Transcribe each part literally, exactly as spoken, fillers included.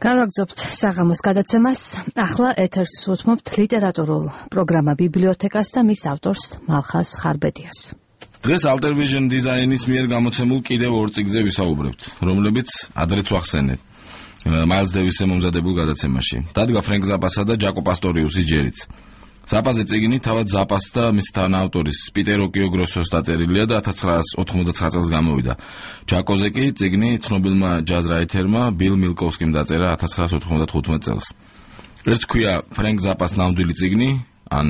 გავაგზავნებთ საღამოს გადაცემას. ახლა ეთერს უთმობთ ლიტერატურულ პროგრამა ბიბლიოთეკას და მის ავტორს მალხაზ ხარბედიას. დღეს Alter Vision დიზაინის მიერ გამოცემულ კიდევ ორ წიგნზე ვისაუბრებთ, რომლებიც ადრეც ვახსენეთ. Miles Davis-ზე მომზადებულ გადაცემაში. დადგა ფრენკ ზაპასა და ჯაკო პასტორიუსის ჯერიც. ზაპაზე წიგნი თავად ზაპას და მის თანაავტორის პიტერ ოკიოგროსოს დაწერილია და ათას ცხრაასი ოთხმოცდათვრამეტ წელს გამოვიდა. ჯაკოზე კი წიგნი ცნობილმა ჯაზ რაითერმა ბილ მილკოვსკიმ დაწერა ათას ცხრაასი ოთხმოცდათოთხმეტ წელს. ერთ ქვია ფრენკ ზაპას ნამდვილი წიგნი, ან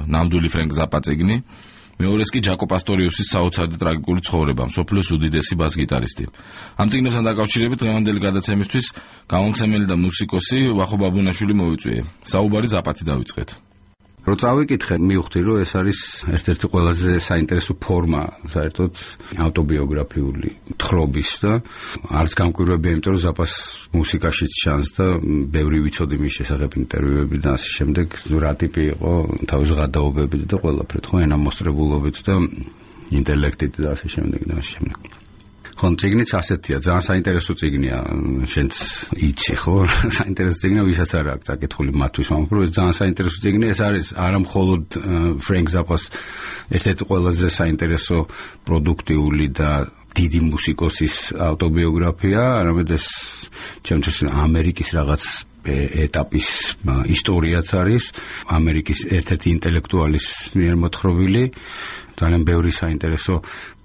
ნამდვილი ფრენკ ზაპა წიგნი. მეორეს კი ჯაკო პასტორიუსის საოცარი და ტრაგიკული ცხოვრება, მსოფლიოს უდიდესი ბას-გიტარისტი. ამ წიგნებთან დაკავშირებით დღევანდელი გადაცემისთვის გამომცემელი და მუსიკოსი ვახო ბაბუნაშვილი მოვიწვიე. საუბარი ზაპათი დავიწყეთ. რო წავიკითხე, მივხვდი, რომ ეს არის ერთ-ერთი ყველაზე საინტერესო ფორმა, საერთოდ ავტობიოგრაფიული თხრობის და არც გამკვირვებია, იმიტომ რომ ზაპას მუსიკაშიც ჩანს და ბევრი ვიცოდი მის შესახებ ინტერვიუები და ასე შემდეგ, რა ტიპი იყო თავის ღადაობებით და ყველაფრით, ხო, ენამოსწრებულობით და ინტელექტით და ასე შემდეგ და ასე შემდეგ. ხო, წიგნიც ასეთია, ძალიან საინტერესო წიგნია, შენც იცი, ხო? საინტერესო წიგნია, ვისაც არ აქვს წაკითხული მათთვის, მაგრამ ეს ძალიან საინტერესო წიგნია, ეს არის არა მხოლოდ ფრენკ ზაპას ერთ-ერთი ყველაზე საინტერესო პროდუქტიული და დიდი მუსიკოსის ავტობიოგრაფია, არამედ ეს ჩემთვის ამერიკის რაღაც ეტაპის ისტორიაც არის, ამერიკის ერთ-ერთი ინტელექტუალის მიერ მოთხრობილი. ძალიან ბევრი საინტერესო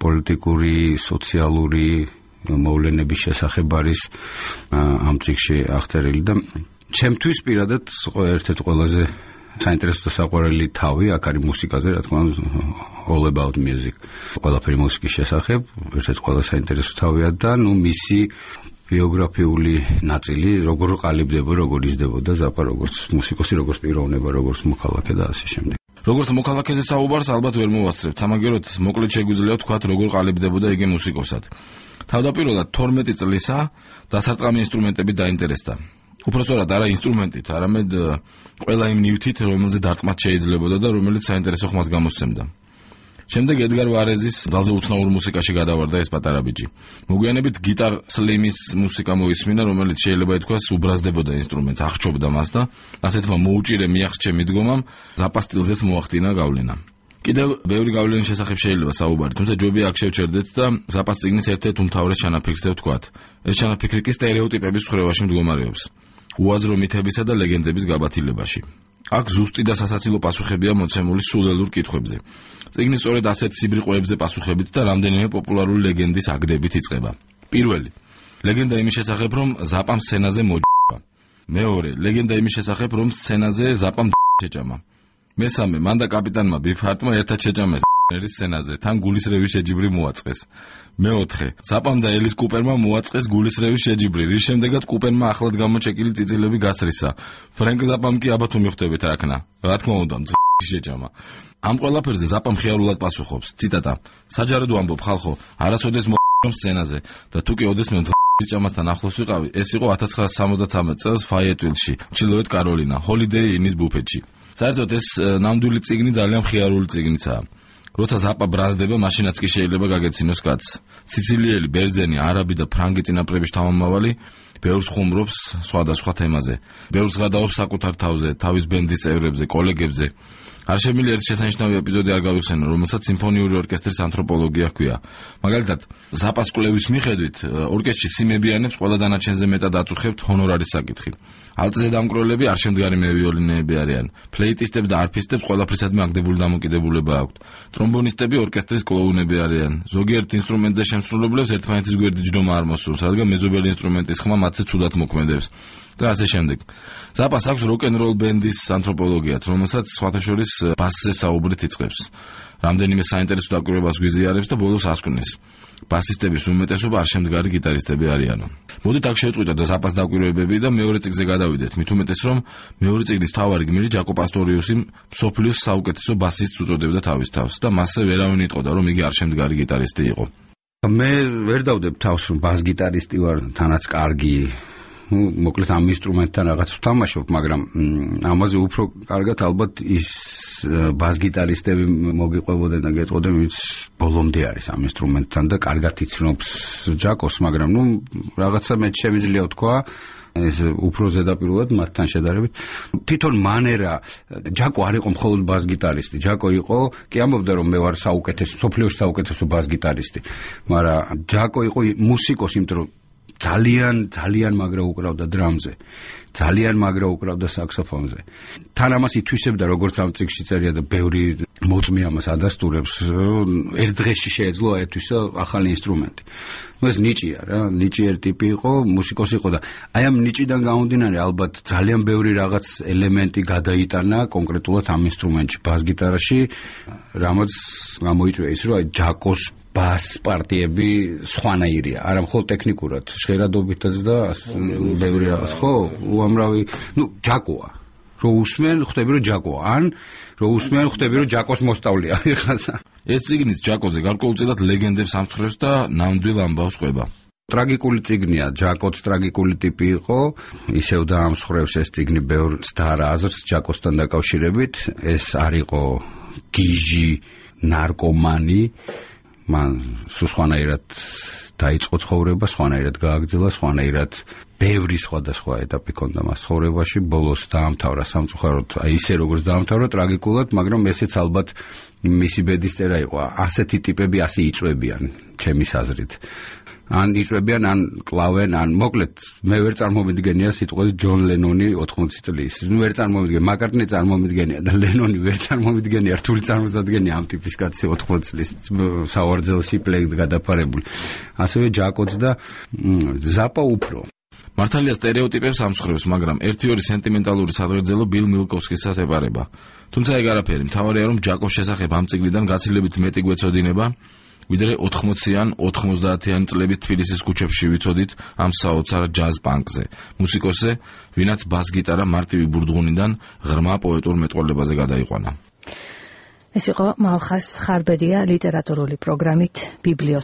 პოლიტიკური, სოციალური მოვლენების შესახებ არის ამ წიგნში აღწერილი და ჩემთვის პირადად ერთ-ერთი ყველაზე საინტერესო და საყვარელი თავი აქ არის მუსიკაზე, რა თქმა უნდა, all about music. ყველაფერი მუსიკის შესახებ, ერთ-ერთი ყველაზე საინტერესო თავია და ნუ მისი ბიოგრაფიული ნაწილი, როგორ ყალიბდება, როგორ იზრდებოდა ზაპა, როგორც მუსიკოსი, როგორც პიროვნება, როგორც მოქალაქე და ასე შემდეგ. როგორც მოქალაქეზე საუბარს ალბათ ვერ მოვასწრებთ. სამაგეროდ მოკლედ შეგვიძლია ვთქვათ, როგორ ყალიბდებოდა იგი მუსიკოსად. თავდაპირველად თორმეტი წლისა დასარტყამი ინსტრუმენტებით დაინტერესდა. უпростоრად არა ინსტრუმენტით, არამედ ყველა იმ ნივთით, რომელზე დარტყმაც შეიძლებოდა და რომელიც საინტერესო ხმას გამოსცემდა. შემდეგ ედგარ ვარეზის ძალზე უცნაურ მუსიკაში გადავარდა ეს პატარა ბიჭი. მოგვიანებით გიტარ სლიმის მუსიკა მოისმინა, რომელიც შეიძლება ითქვას უბრაზდებოდა ინსტრუმენტს, აღჭობდა მას და ასეთმა მოუჭირე მიაღწჩე მიდგომამ ზაპა სტილზეც მოახდინა გავლენა. კიდევ ბევრი გავლენის შესახებ შეიძლება საუბარი, თუმცა ჯობია აქ შევჩერდეთ და ზაპას წიგნის ერთ-ერთ უმთავრეს ჩანაფიქრზე ვთქვათ. ეს ჩანაფიქრი კი სტერეოტიპების ხრევაში მდგომარეობს, უაზრო მითებისა და ლეგენდების გაბათილებაში. აქ ზუსტი და სასაცილო პასუხებია მოცემული სულელურ კითხვებზე. წიგნი სწორედ ასეთ სიბრიყოებზე პასუხებით და რამდენიმე პოპულარული ლეგენდის აგდებით იწყება. პირველი, ლეგენდა იმის შესახებ, რომ ზაპამ სცენაზე მოჯდა. მეორე, ლეგენდა იმის შესახებ, რომ სცენაზე ზაპამ შეჭამა. მესამე, მან და კაპიტანმა ბიფარტმა ერთად შეჭამეს ერის სცენაზე, თან გულისრევის შეჯიბრი მოაწყეს. მეოთხე, ზაპამ და ელის კუპერმა მოაწყეს გულისრევის შეჯიბრი, რის შემდეგაც კუპერმა ახლად გამოჩეკილი წიწილები გასრისა. ფრენკ ზაპამ კი აბათ უმიხდებით რაკნა. რა თქმა უნდა, შეჭამა. ამ ყველაფერზე ზაპამ ხიარულად პასუხობს. ციტატა: საჯაროდ ვამბობ ხალხო, არასოდეს მოვ სცენაზე და თუ კი ოდესმე ჭამასთან ახლოს ვიყავი, ეს იყო ათას ცხრაასი სამოცდათვრამეტ წელს ფაიეტვილში, ჩრდილოეთ კაროლინა, ჰოლიდეი ინის ბუფეტში. საერთოდ ეს ნამდვილი წიგნი ძალიან ხიარული წიგნიცაა. როცა ზაპა ბრაზდება, მაშინაც კი შეიძლება გაგეცინოს კაცს. სიცილიელი, ბერძენი, არაბი და ფრანგი წინაპრების თავმომავალი ბევრს ხუმრობს სხვადასხვა თემაზე. ბევრს გადაობს საკუთარ თავზე, თავის ბენდის წევრებზე, კოლეგებზე. არ შემიძლია ერთ შესანიშნავი ეპიზოდი არ გავიხსენო, რომელსაც სიმფონიური ორკესტრის ანთროპოლოგია ჰქვია. მაგალითად, ზაპას კვლევის მიხედვით, ორკესტრში სიმებიანებს ყველა დანარჩენზე მეტად აწუხებთ ჰონორარის საკითხი. ალტზე დამკვრელები არ შემდგარი მევიოლინეები არიან. ფლეიტისტებს და არფისტებს ყველაფრისადმი აგდებული დამოკიდებულება აქვთ. ტრომბონისტები ორკესტრის კლოუნები არიან. ზოგიერთ ინსტრუმენტზე შემსრულებლებს ერთმანეთის გვერდი ჯდომა არ მოსურს, რადგან მეზობელი ინსტრუმენტის ხმა მათზე ცუდად მოქმედებს. და ასე შემდეგ. ზაპას აქვს როკ-ენ-როლ ბენდის ანთროპოლოგიაც, რომელსაც სხვათა შორის ბასზე საუბრით იწყებს. რამდენიმე საინტერესო დაკვირვებას გვიზიარებს და ბოლოს ასკვნეს. ბასისტების უმეტესობა არ შემდგარი გიტარისტები არიანო. მოდით აქ შევწყვიტოთ და ზაპას დაკვირვებები და მეორე წიგნზე გადავიდეთ. მით უმეტეს რომ მეორე წიგნის მთავარი გმირი ჯაკო პასტორიუსი მსოფლიოს საუკეთესო ბასისტს უწოდებდა თავის თავს და მასზე ვერავინ იტყოდა რომ იგი არ შემდგარი გიტარისტი იყო. მე ვერ დავდებ თავს რომ ბას-გიტარისტი ვარ, თანაც კარგი. ну, მოკლედ ამ ინსტრუმენტთან რაღაც ვთამაშობ, მაგრამ ამაზე უფრო კარგად ალბათ ის ბას-გიტარისტები მოგიყვებოდნენ და გეტყოდნენ, ვინც ბოლომდე არის ამ ინსტრუმენტთან და კარგად იცნობს ჯაკოს, მაგრამ ნუ რაღაცა მე შემიძლია ვთქვა ეს უფრო ზედაპირულად მათთან შედარებით. თვითონ მანერა ჯაკო არ იყო მხოლოდ ბას-გიტარისტი. ჯაკო იყო, კი ამბობდა რომ მე ვარ საუკეთესო, სოფლიოში საუკეთესო ბას-გიტარისტი. მაგრამ ჯაკო იყო მუსიკოსი, იმიტომ რომ ძალიან ძალიან მაგრა უკრავდა დრამზე. ძალიან მაგრა უკრავდა საქსოფონზე. თან ამას ითვისებდა როგორც ამ წიგნში წერია და ბევრი მოწმე ამას ადასტურებს, ერთ დღეში შეეძლო აერთვისა ახალი ინსტრუმენტი. ეს ნიჭია რა, ნიჭიერი ტიპი იყო, მუსიკოსი იყო და აი ამ ნიჭიდან გამომდინარე ალბათ ძალიან ბევრი რაღაც ელემენტი გადაიტანა კონკრეტულად ამ ინსტრუმენტში, ბას-გიტარაში, რამაც გამოიწვია ის, რომ აი ჯაკოს ბას პარტიები სხვანაირია, არა მხოლოდ ტექნიკურად, ჟღერადობითაც და ბევრი რაღაც, ხო, უამრავი, ნუ ჯაკოა. რო უსმენ, ხვდები რომ ჯაკოა, ან რო უსმენ, ხვდები რომ ჯაკოს მოსწავლეა ხაზა. ეს წიგნიც ჯაკოზე გარკვეულწილად ლეგენდებს ამცხრევს და ნამდვილ ამბავს ყვება. ტრაგიკული წიგნია, ჯაკოც ტრაგიკული ტიპი იყო, ისევ დაამსხვრევს ეს წიგნი ბევრ სთარ აზრს ჯაკოსთან დაკავშირებით, ეს არ იყო გიჟი, ნარკომანი, მან სულ სხვანაირად დაიწყო ცხოვრება, სხვანაირად გააგრძელა, სხვანაირად ბევრი სხვადასხვა ეტაპი ჰქონდა მას ცხოვრებაში, ბოლოს დაამთავრა სამწუხაროდ, აი ისე როგორც დაამთავრა ტრაგიკულად, მაგრამ ესეც ალბათ მისი ბედისწერა იყო. ასეთი ტიპები ასე იწვევიან, ჩემის აზრით. ან იწვევიან, ან კლავენ, ან მოკლედ მე ვერ წარმომიდგენია სიტყვას ჯონ ლენონი ოთხმოცი წლის. ნუ ვერ წარმომიდგენია, მაკარტნი წარმომიდგენია და ლენონი ვერ წარმომიდგენია, რთული წარმოუდგენია ამ ტიპის კაცი ოთხმოცი წლის სავარძელში პლეგ გადაფარებული. ასევე ჯაკოც და ზაპა უფრო. მართალია სტერეოტიპებს ამსხვრევს, მაგრამ ერთი-ორი სენტიმენტალური სადღერძელო ბილ მილკოვსკისას ებარება. თუმცა ეგ არაფერი, მთავარია რომ ჯაკოს შესახებ ამ წიგნიდან გაცილებით მეტი გვეცოდინება, ვიდრე ოთხმოციან ოთხმოცდაათიან წლების თბილისის ქუჩებში ვიცოდით ამ საოცარ ჯაზ პანკზე. მუსიკოსზე, ვინაც ბას-გიტარა მარტივი ბურდღუნიდან ღრმა პოეტურ მეტყველებაზე გადაიყვანა. ეს იყო მალხას ხარბედია ლიტერატურული პროგრამით ბიბლიოთეკა.